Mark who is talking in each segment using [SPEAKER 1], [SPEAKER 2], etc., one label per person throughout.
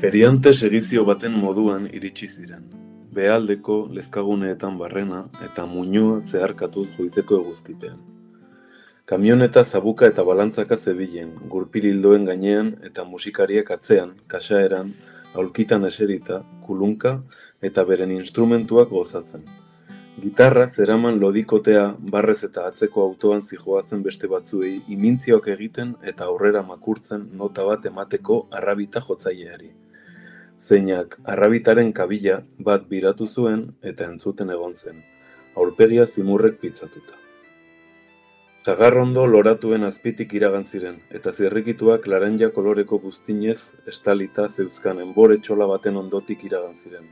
[SPEAKER 1] Periante segizio baten moduan iritsi ziren. Behealdeko lezkaguneetan barrena eta muinua zeharkatuz goizeko eguzkipean. Kamioneta zabuka eta balantzaka zebilen, gurpil hildoen gainean eta musikariek atzean, kaxaeran, aulkitan eserita, kulunka eta beren instrumentuak gozatzen. Gitarra zeraman lodikotea barrez eta atzeko autoan zijoazen beste batzuei imintzioak egiten eta aurrera makurtzen nota bat emateko arrabita jotzaileari. Zeinak arrabitaren kabila bat biratu zuen eta entzuten egon zen, aurpegia zimurrek pitzatuta. Sagarrondo loratuen azpitik iragan ziren, eta zirrikituak laranja koloreko buztinez estalita zeuzkan enbore txola baten ondotik iragan ziren.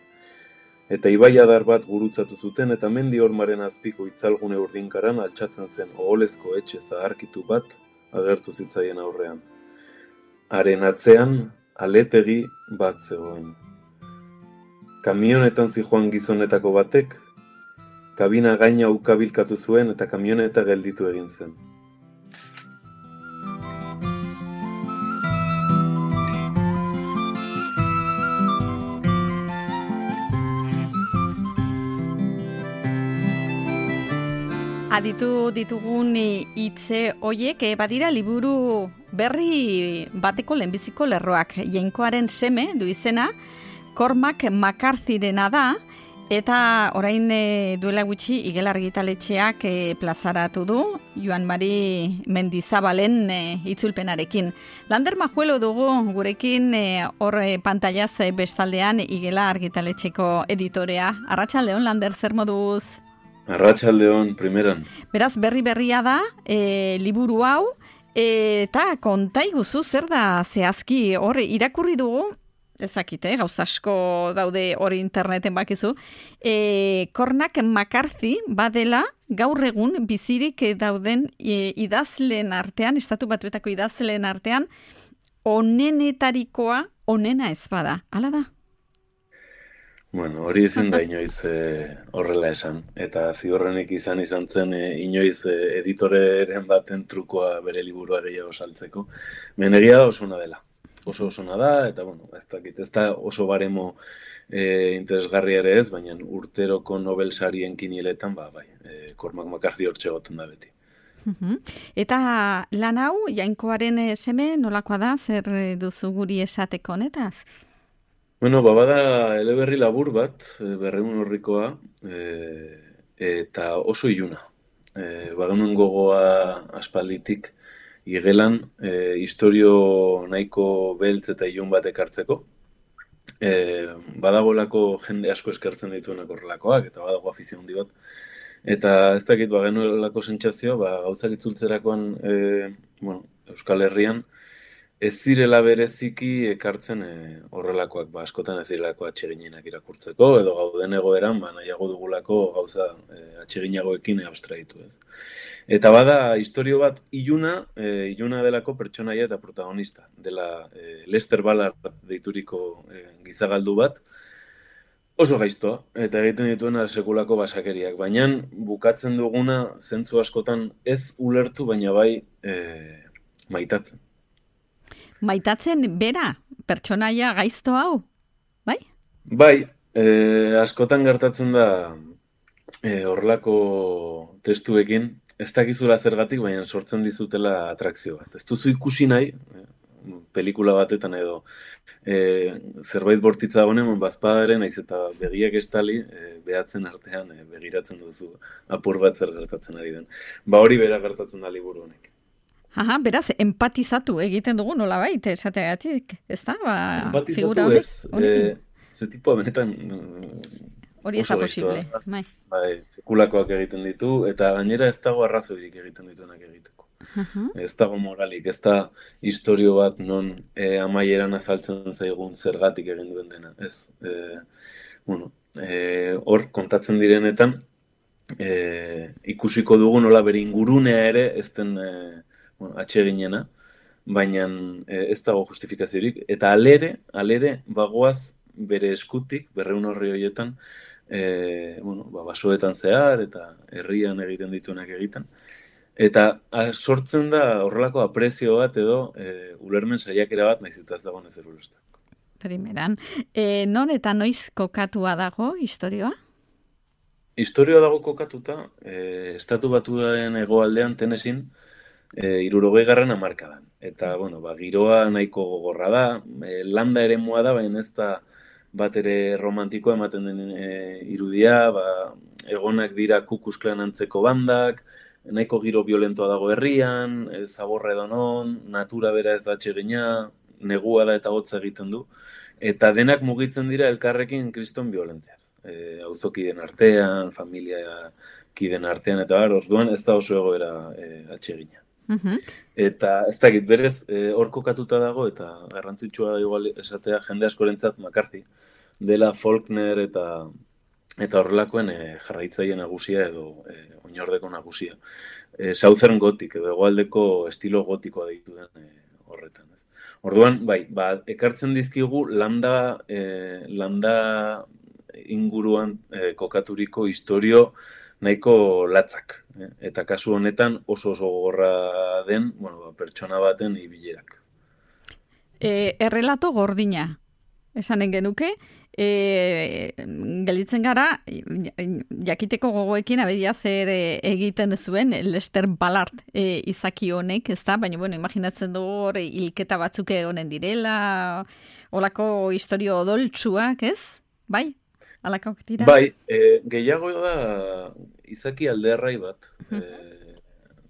[SPEAKER 1] Eta ibaiadar bat gurutzatu zuten eta mendi hormaren azpiko itzalgune urdinkaran altxatzen zen oholezko etxe zaharkitu bat agertu zitzaien aurrean. Haren atzean aletegi bat zegoen. Kamionetan zijoan gizonetako batek, kabina gaina ukabilkatu zuen eta kamioneta gelditu egin zen.
[SPEAKER 2] Aditu ditugun hitze hoiek badira liburu berri bateko lehenbiziko lerroak. Jainkoaren seme du izena, Cormac McCarthyrena da, eta orain duela gutxi Igel argitaletxeak plazaratu du, Joan Mari Mendizabalen itzulpenarekin. Lander Majuelo dugu gurekin hor pantailaz bestaldean Igela argitaletxeko editorea. Arratsaldeon, Lander, zer moduz?
[SPEAKER 1] Arratsaldeon, primeran.
[SPEAKER 2] Beraz, berria da, liburu hau, eta konta iguzu zer da zehazki, hor irakurri dugu, ezakit, gauza asko daude hori interneten bakizu, Cormac McCarthy badela gaur egun bizirik dauden idazleen artean, Estatu Batuetako idazleen artean, onenetarikoa onena ez bada, hala da?
[SPEAKER 1] Bueno, hori ezin da inoiz horrela esan, eta ziurrenik izan zen inoiz editoreren baten trukoa bere liburua gehiago saltzeko. Menegia da osona dela. Oso osona da, eta bueno, ez da oso baremo interesgarria ere ez, baina urteroko Nobel sarien kinieletan, bai, Cormac McCarthy hortxe goten da beti.
[SPEAKER 2] Eta lan hau, Jainkoaren seme, nolakoa da, zer duzu guri esateko honetaz?
[SPEAKER 1] Bueno, bada eleberri labur bat, 200 orrikoa, eta oso iluna. Bagenuen gogoa aspalditik Igelan, istorio nahiko beltz eta ilun bat ekartzeko. Badagolako jende asko eskertzen dituenak horrelakoak, eta badago afizio handi bat. Eta ez dakit bagenuelako sentsazio, gauzak itzultzerakoan Euskal Herrian, ez zirela bereziki ekartzen horrelakoak, askotan ez zirelako atseginenak irakurtzeko, edo gauden egoeran, nahiago dugulako gauza atseginagoekin abstraitu ez. Eta bada, istorio bat iluna delako pertsonaia eta protagonista, dela Lester Ballard deituriko gizagaldu bat, oso gaiztoa, eta egiten dituena sekulako basakeriak, baina bukatzen duguna zentzu askotan ez ulertu, baina bai maitatzen.
[SPEAKER 2] Maitatzen bera, pertsonaia gaizto hau, bai?
[SPEAKER 1] Bai, askotan gertatzen da horrelako testuekin, ez dakizula zergatik, baina sortzen dizutela atrakzio bat. Ez duzu ikusi nahi, pelikula batetan edo zerbait bortitza honen, bazpadaren, naiz eta begiak estali, behatzen artean begiratzen duzu apur bat zer gertatzen ari den. Hori bera gertatzen da liburu honek.
[SPEAKER 2] Aha, beraz, empatizatu egiten dugu nolabait, esateagatik, ez da?
[SPEAKER 1] Empatizatu ez, ze tipua benetan
[SPEAKER 2] hori ez da posible.
[SPEAKER 1] Bai, sekulakoak egiten ditu, eta gainera ez dago arrazoirik egiten dituenak egiteko. Ez dago moralik, ez da istorio bat non amaieran azaltzen zaigun zergatik egin duen dena. Ez, hor kontatzen direnetan, ikusiko dugu nola bere ingurunea ere ez den atseginena, baina ez dago justifikaziorik, eta alere bagoaz bere eskutik, 200 orri horietan, basoetan zehar, eta herrian egiten dituenak egiten, eta sortzen da horrelako aprezio bat edo ulermen saiakera bat, naiz eta ez dagoen ezer ulertzen.
[SPEAKER 2] primeran. Non eta noiz kokatua dago historioa?
[SPEAKER 1] Historioa dago kokatuta, Estatu Batuen hegoaldean Tennesseein, 60. hamarkadan. Eta, bueno, giroa nahiko gogorra da, landa eremua da, baina ez da bat ere romantikoa ematen den irudia, egonak dira Ku Klux Klan antzeko bandak, nahiko giro violentoa dago herrian, zaborra edonon, natura bera ez da atsegina, negua da eta hotza egiten du, eta denak mugitzen dira elkarrekin kriston violentziaz. Auzokideen artean, familia kiden artean, eta orduan ez da oso egoera atsegina. Eta ez dakit, berez, hor kokatuta dago, eta garrantzitsua igual esatea jende askorentzat McCarthy, dela Faulkner eta horrelakoen jarraitzaile nagusia edo oinordeko nagusia. Southern Gothic edo hegoaldeko estilo gotikoa deitu den horretan. Ez. Orduan, bai, ekartzen dizkigu landa inguruan kokaturiko historio nahiko latzak. Eta kasu honetan oso gogorra den, pertsona baten ibilerak.
[SPEAKER 2] Errelato gordina, esanen genuke, gelditzen gara, jakiteko gogoekin abedia zer egiten zuen Lester Ballard izaki honek, ez da? Baina, imaginatzen du hor hilketa batzuk egonen direla, olako historio odoltsuak, ez? Bai? Alakok dira?
[SPEAKER 1] Bai, gehiago da izaki alderrai bat.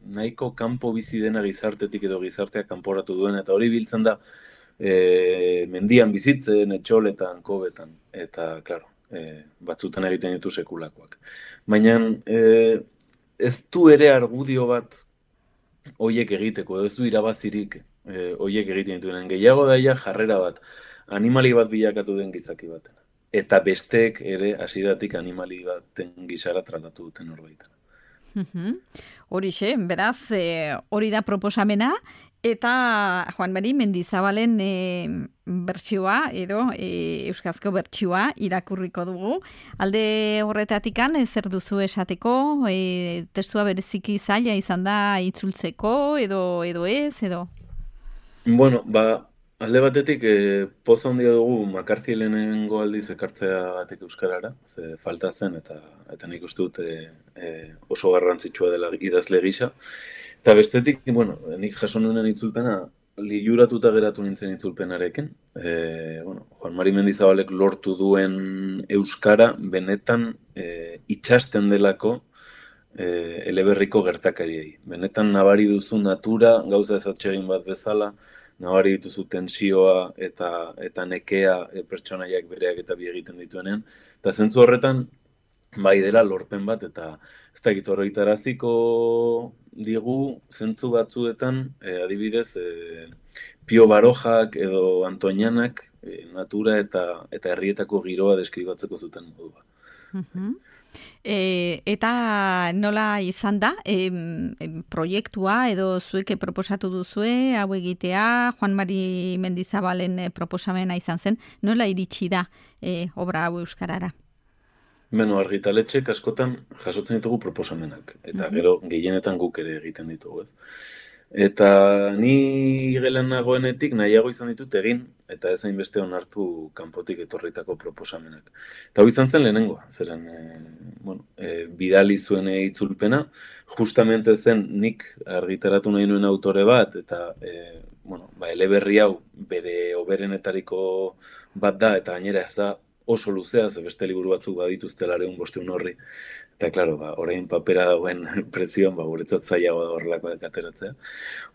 [SPEAKER 1] Nahiko kanpo bizi dena gizartetik edo gizarteak kanporatu duen, eta hori biltzen da mendian bizitzen, etxoletan, kobetan, eta, klaro, batzutan egiten ditu sekulakoak. Baina ez du ere argudio bat hoiek egiteko, ez du irabazirik hoiek egiten dituen. Gehiago daia jarrera bat, animali bat bilakatu den gizaki baten. Eta besteek ere hasieratik animali baten gisara tratatu duten horbaitan.
[SPEAKER 2] Horixe, beraz, hori da proposamena, eta Juan Mari Mendizabalen bertsioa, edo euskarazko bertsioa irakurriko dugu. Alde horretatikan, zer duzu esateko, testua bereziki zaila izan da itzultzeko, edo ez, edo?
[SPEAKER 1] Bueno, alde batetik, poza handia dugu McCarthy lehenengo aldiz ekartzea batek euskarara, ze falta zen, eta nik uste dut oso garrantzitsua dela idazle gisa. Eta bestetik, nik jaso nuen itzulpena, liluratuta geratu nintzen itzulpenarekin. Juan Mari Mendizabalek lortu duen euskara, benetan itxasten delako eleberriko gertakariei. Benetan nabari duzu natura, gauza ez atsegin bat bezala, nabari dituzu tensioa eta nekea pertsonaiak bereak eta bi egiten dituenean. Eta zentzu horretan, bai dela lorpen bat, eta ez dakit horretaraziko digu zentzu batzuetan, adibidez, Pio Barojak edo Antoñanak natura eta herrietako giroa deskribatzeko zuten modua.
[SPEAKER 2] Eta nola izan da, proiektua edo zuek proposatu duzue, hau egitea, Juan Mari Mendizabalen proposamena izan zen, nola iritsi da obra hau euskarara?
[SPEAKER 1] Argitaletxek askotan jasotzen ditugu proposamenak, eta gero gehienetan guk ere egiten ditugu, ez? Eta ni gelan nagoenetik nahiago izan ditut egin, eta ez hainbeste onartu kanpotik etorritako proposamenak. Eta hau izan zen lehenengoa, zeren bidali zuen itzulpena, justamente zen nik argitaratu nahi nuen autore bat, eta eleberri hau bere oberenetariko bat da, eta gainera ez da oso luzea, ze beste liburu batzuk badituztela 500 horri. Eta, klaro, orain papera dagoen prezioan, guretzat zailagoa da horrelakoak ateratzea.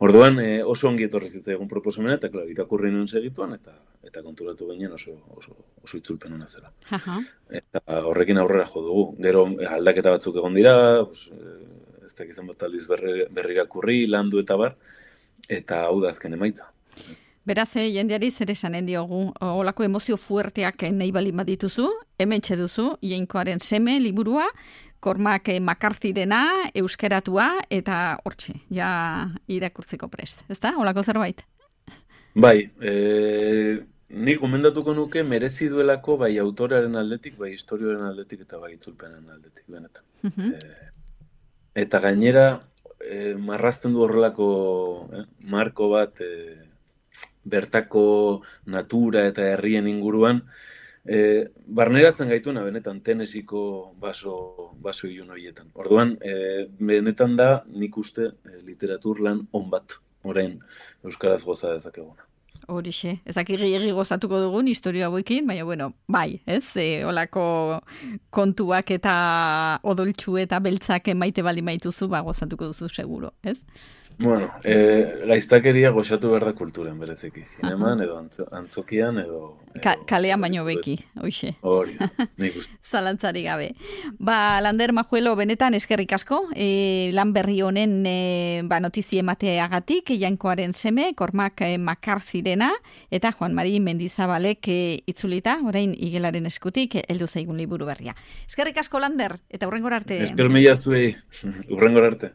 [SPEAKER 1] Orduan, oso ongi etorri zitzaigun proposamena, eta, klaro, irakurri nuen segituan, eta konturatu ginen oso itzulpen hona zela. Eta horrekin aurrera jo dugu. Gero, aldaketa batzuk egon dira, ez dakizan bat aldiz berri irakurri, landu eta bar, eta hau da azken emaitza.
[SPEAKER 2] Beraz, jendeari zer esanen diogu, olako emozio fuerteak nahi balin badituzu, hementxe duzu, Jainkoaren seme liburua, Cormac McCarthyrena, euskaratua, eta hortxe, ja irakurtzeko prest. Ez da, olako zerbait?
[SPEAKER 1] Bai, nik gomendatuko nuke merezi duelako bai autorearen aldetik, bai historioaren aldetik, eta bai itzulpenen aldetik, benetan. Eta gainera, marrazten du horrelako marko bat, bertako natura eta herrien inguruan, barneratzen gaituna benetan Tennesseeko baso ilun horietan. Orduan, benetan da nik uste literatur lan on bat, orain euskaraz goza dezakeguna.
[SPEAKER 2] Horixe, ezak egi gozatuko dugun historia hauekin, baina bueno, bai, ez? Olako kontuak eta odoltxu eta beltzak maite baldin maituzu, gozatuko duzu seguro, ez?
[SPEAKER 1] Bueno, gaiztakeria goxatu behar da kulturan bereziki, zineman edo antzokian edo...
[SPEAKER 2] Kalean baino beki, hoxe.
[SPEAKER 1] Hori, nik uste.
[SPEAKER 2] Zalantzari gabe. Lander Majuelo, benetan eskerrik asko, lan berri honen notizie emateagatik, Jainkoaren seme, Kormak Makarzirena, eta Juan Mari Mendizabalek itzulita, orain Igelaren eskutik, heldu zaigun liburu berria. Eskerrik asko, Lander, eta hurrengor arte.
[SPEAKER 1] Esker mila zuei, hurrengor arte.